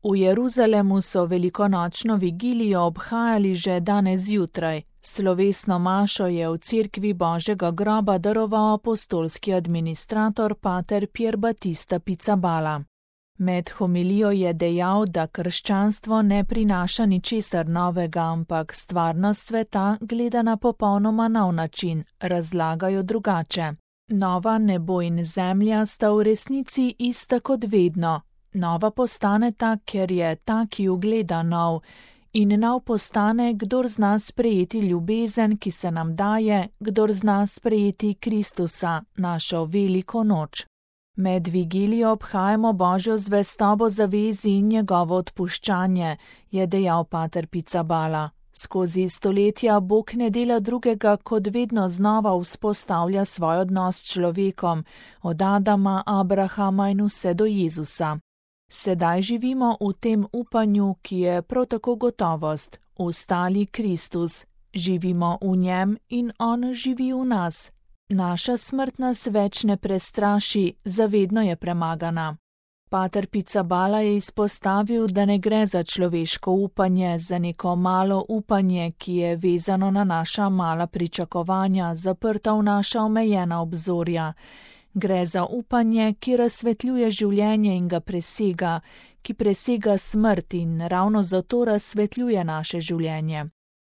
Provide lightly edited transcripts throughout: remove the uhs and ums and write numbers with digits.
V Jeruzalemu so velikonočno vigilijo obhajali že danes zjutraj. Slovesno mašo je v cerkvi Božjega groba daroval apostolski administrator pater Pier Battista Pizzaballa. Med homilijo je dejal, da krščanstvo ne prinaša ničesar novega, ampak stvarnost sveta gleda na popolnoma nov način, razlagajo drugače. Nova nebo in zemlja sta v resnici ista kot vedno. Nova postaneta, ker je ta, ki jo gleda, nov, in nov postane, kdor zna sprejeti ljubezen, ki se nam daje, kdor zna sprejeti Kristusa, našo veliko noč. Med vigilijo obhajamo Božjo zvestobo zavezi in njegovo odpuščanje, je dejal pater Pizzaballa. Skozi stoletja Bog ne dela drugega, kot vedno znova vzpostavlja svoj odnos s človekom, od Adama, Abrahama in vse do Jezusa. Sedaj živimo v tem upanju, ki je prav tako gotovost, ustali Kristus. Živimo v njem in on živi v nas. Naša smrt nas več ne prestraši, zavedno je premagana. Pater Pizzaballa je izpostavil, da ne gre za človeško upanje, za neko malo upanje, ki je vezano na naša mala pričakovanja, zaprta v naša omejena obzorja. Gre za upanje, ki razsvetljuje življenje in ga presega, ki presega smrt in ravno zato razsvetljuje naše življenje.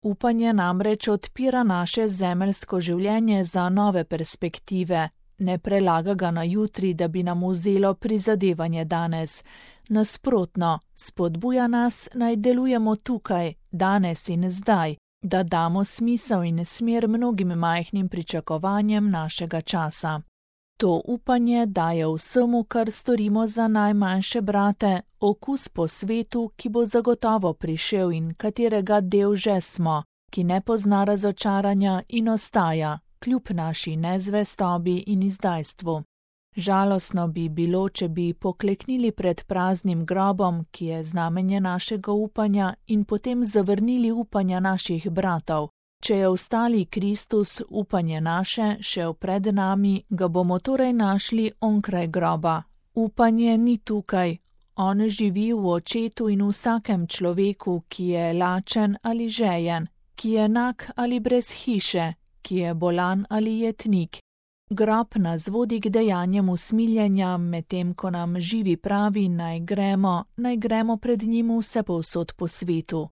Upanje namreč odpira naše zemeljsko življenje za nove perspektive, ne prelaga ga na jutri, da bi nam vzelo prizadevanje danes. Nasprotno, spodbuja nas, naj delujemo tukaj, danes in zdaj, da damo smisel in smer mnogim majhnim pričakovanjem našega časa. To upanje daje vsemu, kar storimo za najmanjše brate, okus po svetu, ki bo zagotovo prišel in katerega del že smo, ki ne pozna razočaranja in ostaja, kljub naši nezvestobi in izdajstvu. Žalostno bi bilo, če bi pokleknili pred praznim grobom, ki je znamenje našega upanja, in potem zavrnili upanja naših bratov. Če je ostali Kristus upanje naše, še pred nami, ga bomo torej našli onkraj groba. Upanje ni tukaj. On živi v očetu in vsakem človeku, ki je lačen ali žejen, ki je nag ali brez hiše, ki je bolan ali jetnik. Grob nas vodi k dejanjem usmiljenja, medtem ko nam živi pravi, naj gremo pred njim vsepovsod po svetu.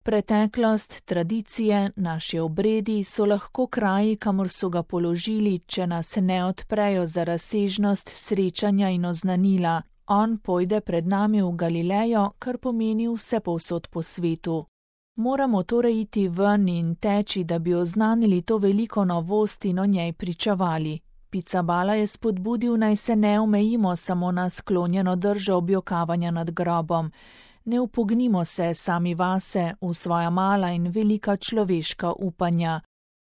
Preteklost, tradicije, naši obredi so lahko kraji, kamor so ga položili, če nas ne odprejo za razsežnost srečanja in oznanila. On pojde pred nami v Galilejo, kar pomeni vsepovsod po svetu. Moramo torej iti ven in teči, da bi oznanili to veliko novost in o njej pričavali. Pizzaballa je spodbudil, naj se ne omejimo samo na sklonjeno držo objokavanja nad grobom. Ne upognimo se sami vase v svoja mala in velika človeška upanja.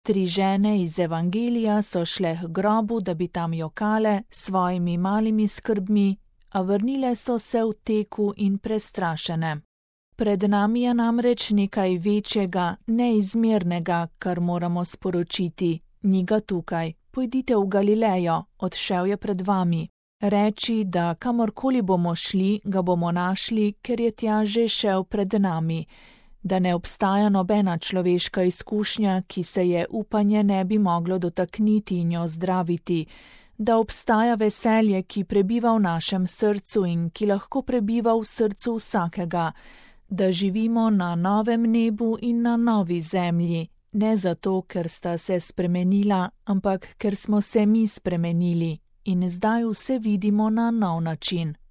3 žene iz Evangelija so šle k grobu, da bi tam jokale s svojimi malimi skrbmi, a vrnile so se v teku in prestrašene. Pred nami je namreč nekaj večjega, neizmernega, kar moramo sporočiti. Ni ga tukaj, pojdite v Galilejo, odšel je pred vami. Reči, da kamorkoli bomo šli, ga bomo našli, ker je tja že šel pred nami, da ne obstaja nobena človeška izkušnja, ki se je upanje ne bi moglo dotakniti in jo zdraviti, da obstaja veselje, ki prebiva v našem srcu in ki lahko prebiva v srcu vsakega, da živimo na novem nebu in na novi zemlji, ne zato, ker sta se spremenila, ampak ker smo se mi spremenili. In zdaj vse vidimo na nov način.